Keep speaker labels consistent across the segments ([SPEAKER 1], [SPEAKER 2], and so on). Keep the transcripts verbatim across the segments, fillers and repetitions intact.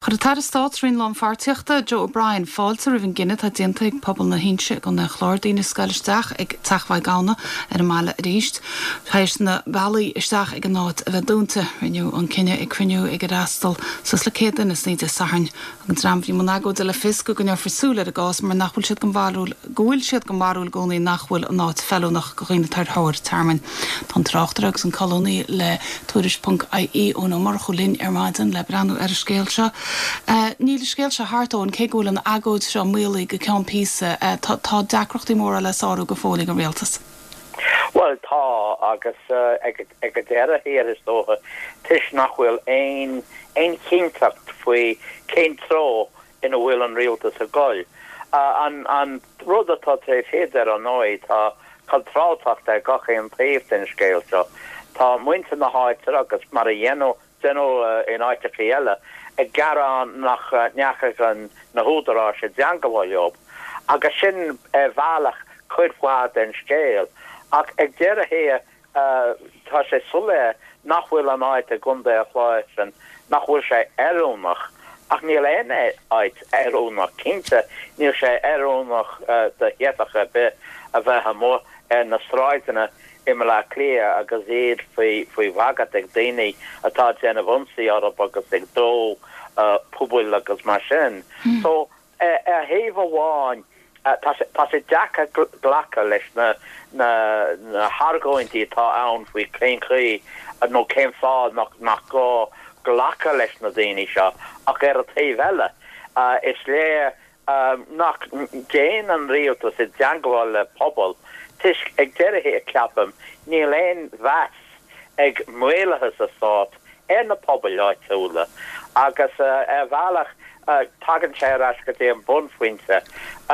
[SPEAKER 1] Chuir an tAire Stáit sa Roinn Lánpháirtíochta Joe O'Brien fáilte roimh an gcinneadh atá déanta ag pobal na hInse i gContae an Chláir daoine a scaoileadh isteach ag Teach Mhaigh Gamhna ar an mbaile arís. Tar éis na bealaí isteach ag an áit a bheith dúnta. Rinneadh an cinneadh ag cruinniú ag ar fhreastail suas le céad duine san Dé Sathairn. An dream a bhí i mbun agóide le fios go gcoinneofar súil ar an gcás mar nach bhfuil siad den bharúil go bhfuil siad den bharúil i gcónaí nach bhfuil an áit feiliúnach do dhaoine ar thóir tearmainn. Tá an tráchtaire agus an colúnaí le Tuairisc.ie Eoin Ó Murchú linn ar maidin le breathnú ar an scéal seo. Uh, níl scéal seo thart Eoin cé go bhfuil an agóid seo maolaithe go ceann píosa uh, tá, tá deacrachtaí móra le sárú go fóill ag an rialtas.
[SPEAKER 2] Well tá agus uh, ag ag an deireadh thiar is dócha toisc nach bhfuil aon aon chinnteacht faoi cén treo ina bhfuil an rialtas ag goil. Uh, an, an rud atá tré féidir an nóid tá contrárthacht ag gach aon taobh den scéal seo. Tá muintir na háite agus mar a dhéanamh déanamh uh, in áiteacha eile ag gearán nach uh, ndeachaigh an na húdaráis i dteagmháil leo. Agus sin uh, bhealach cuid mhaith den scéal. Ach ag deireadh thiar uh, tá sé soiléir nach bhfuil an áit i gContae an Chláir sin nach bhfuil sé oiriúnach ach níl aon áit oiriúnach cinnte níl sé oiriúnach uh, do theifeach ar bith a bheith amuigh ar na sráideanna i mBaile Átha Cliath agus iad faoi faoi bhagairt ag daoine atá déanamh ionsaí orthu agus ag dó uh, pubaill agus mar sin. Mm. So ar uh, thaobh amháin uh, tá sé deacair glacadh leis na na, na hargóintí atá ann faoi cén chaoi nó cén fáth nach nach gá glacadh leis na daoine seo ach ar an taobh eile uh, is léir um, nach dtéann an rialtas i dteagmháil le pobal toisc ag deireadh ceapaim níl aon mheas ag maorlathas sa stát ar na pobail áitiúla agus uh, ar bhealach uh, tagann sé ar ais go dtí an bunphointe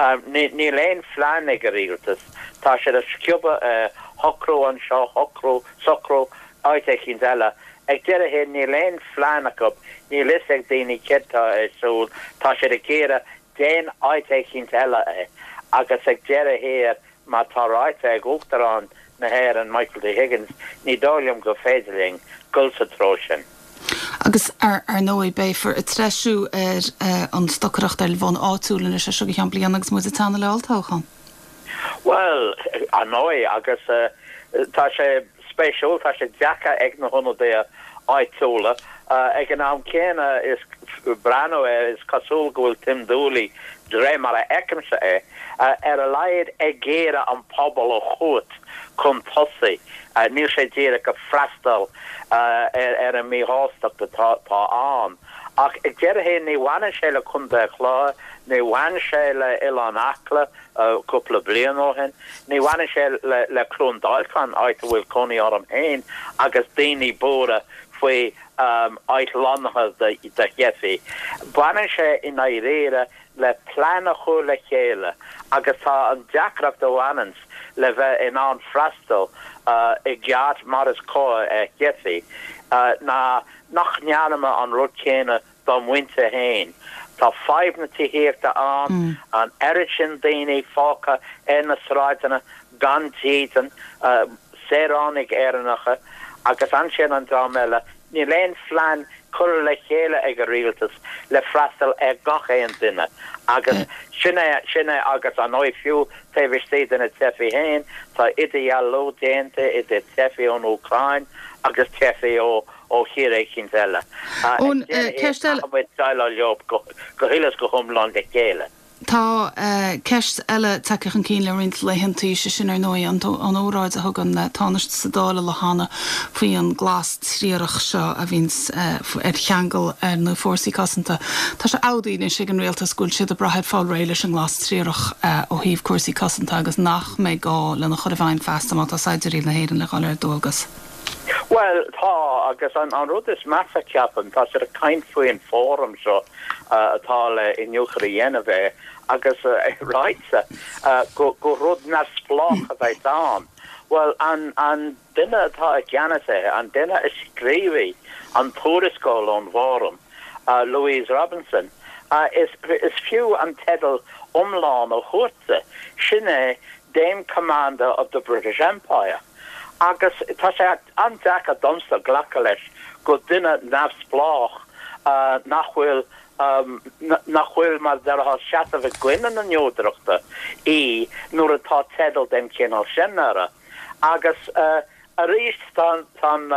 [SPEAKER 2] um, níl aon phlean ag an rialtas tá sé ag sciobadh uh, shocrú anseo shocrú socrú áit éicint eile ag deireadh níl aon phlean acu níl a fhios ag daoine céard atá ar siúl tá sé ag iarraidh déan áit éicint eile é agus ag deireadh thiar má tá ráite ag Uachtarán na hÉireann Michael D. Higgins ní dóigh liom gur féidir linn dul sa treo sin.
[SPEAKER 1] Agus ar ar ndóigh beifear ag treisiú ar uh, an stocaireacht ar bhonn áitiúil anois seo go ceann bliana agus muid ag teannadh le olltoghchán.
[SPEAKER 2] Well ar ndóigh agus uh, tá sé spéisiúil tá sé deacair ag na hionadaithe áitiúla uh, ag an am céanna is breathnú é is cosúil go bhfuil Tim Dooley de mar a fheicimse é uh, ar a laghad ag iarraidh an pobal a thabhairt chun tosaigh uh, níl sé díreach ag freastal uh, ar, ar an míshástacht atá tá ann. Ach ag deireadh ní bhaineann sé le Contae an Chláir, ní bhaineann sé le Oileán Acla cúpla bliain ó shin, ní bhaineann sé le, le Cluain Dolcáin áit a bhfuil cónaí orm féin agus daoine buartha faoi um, áit lonnaithe de, de theifigh. Baineann sé i ndáiríre le plean a chur le chéile agus tá an deacracht a bhaineann le bheith in ann freastal uh, i gceart mar is cóir ar theifigh uh, ná nach ndearnamar an rud céanna dár muintir féin. Tá fadhb na tithíochta ann mm. an oiread sin daoine fágtha ar na sráideanna gan dídean uh, saoránaigh Éireannacha agus ansin an dream eile níl aon phlean curtha le chéile ag an rialtas le freastal ar gach aon duine agus sinne sinne agus an nóid fiú taobh istigh de na teifigh féin tá idirdhealú déanta idir teifigh ón Úcráin agus teifigh ó ó thír éicint eile. Leo go huile go hiomlán le chéile.
[SPEAKER 1] Tá uh, ceist eile tagtha chun cinn le roinnt laethanta sé sin ar ndóigh an an óráid a thug an uh, Tánaiste sa Dáil le hana faoi an glas triarach seo a bhíonn uh, ar cheangal ar na fórsaí cosanta. Tá sé ádaí sé an rialtas go bhfuil siad ag brath fáil réidh leis an nglas triarach uh, ó thaobh cúrsaí cosanta agus nach mbeidh gá lena chur i bhfeidhm feasta má tá saighdiúirí na hÉireann le dhul ar dualgas.
[SPEAKER 2] Well tá agus an, an rud is measa ceapaim tá sé caint faoin fóram seo uh, atá le iniúchadh a dhéanamh air agus uh, ráite uh, go, go rud neamhspleách a bheith ann. Well an, an duine atá i gceannas air an duine a scríobh an tuarascáil ón bhfóram uh, Louise Robinson uh, is, is fiú an teideal iomlán a thabhairt sin é Dame Commander of the British Empire. Agus tá sé an-deacair domsa glacadh leis go duine neamhspleách uh, nach bhfuil nach bhfuil mar a déarfá seasamh i gcoinne na neodrachta í nuair atá teideal den chineál sin uirthi. Agus arís tá an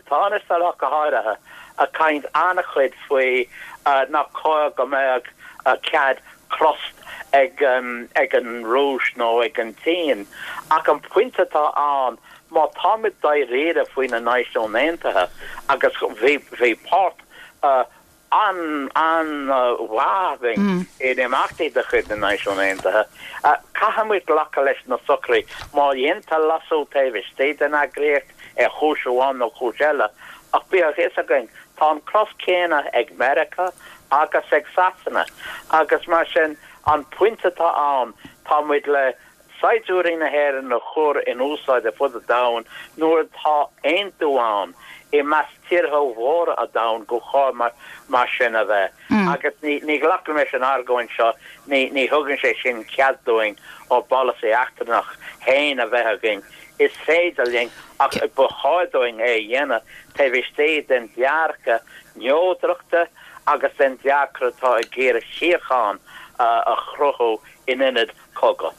[SPEAKER 2] Tánaiste go háirithe ag caint an-chuid faoi nach cóir go mbeadh cead cros ag ag an Rúis nó ag an tSín. Ach an pointe atá ann, má táimid dáiríre faoi na Náisiúin Aontaithe agus bhí bhí páirt an-mhaith againn in imeachtaí de chuid na Náisiún Aontaithe, caithfimid glacadh leis na socruithe. Má dhéantar leasú taobh istigh den eagraíocht ar chúis amháin nó cúis eile, ach bíodh a fhios againn, tá an cros céanna ag Meiriceá agus ag Sasana agus mar sin an pointe atá ann, tá muid le saighdiúirí na hÉireann a chur in úsáid ar fud an domhain nuair atá aontú ann i measc tíortha mhóra an domhain gur chóir mar sin a bheith. Agus ní ní ghlacaim leis an argóint seo, ní ní thugann sé sin cead dúinn ár bpolasaí eachtrannach féin a bheith againn. Is féidir linn ach ba chóir dúinn é a dhéanamh taobh istigh den dearcadh neodrachta agus den dearcadh atá ag iarraidh síocháin a chruthú in ionad cogadh.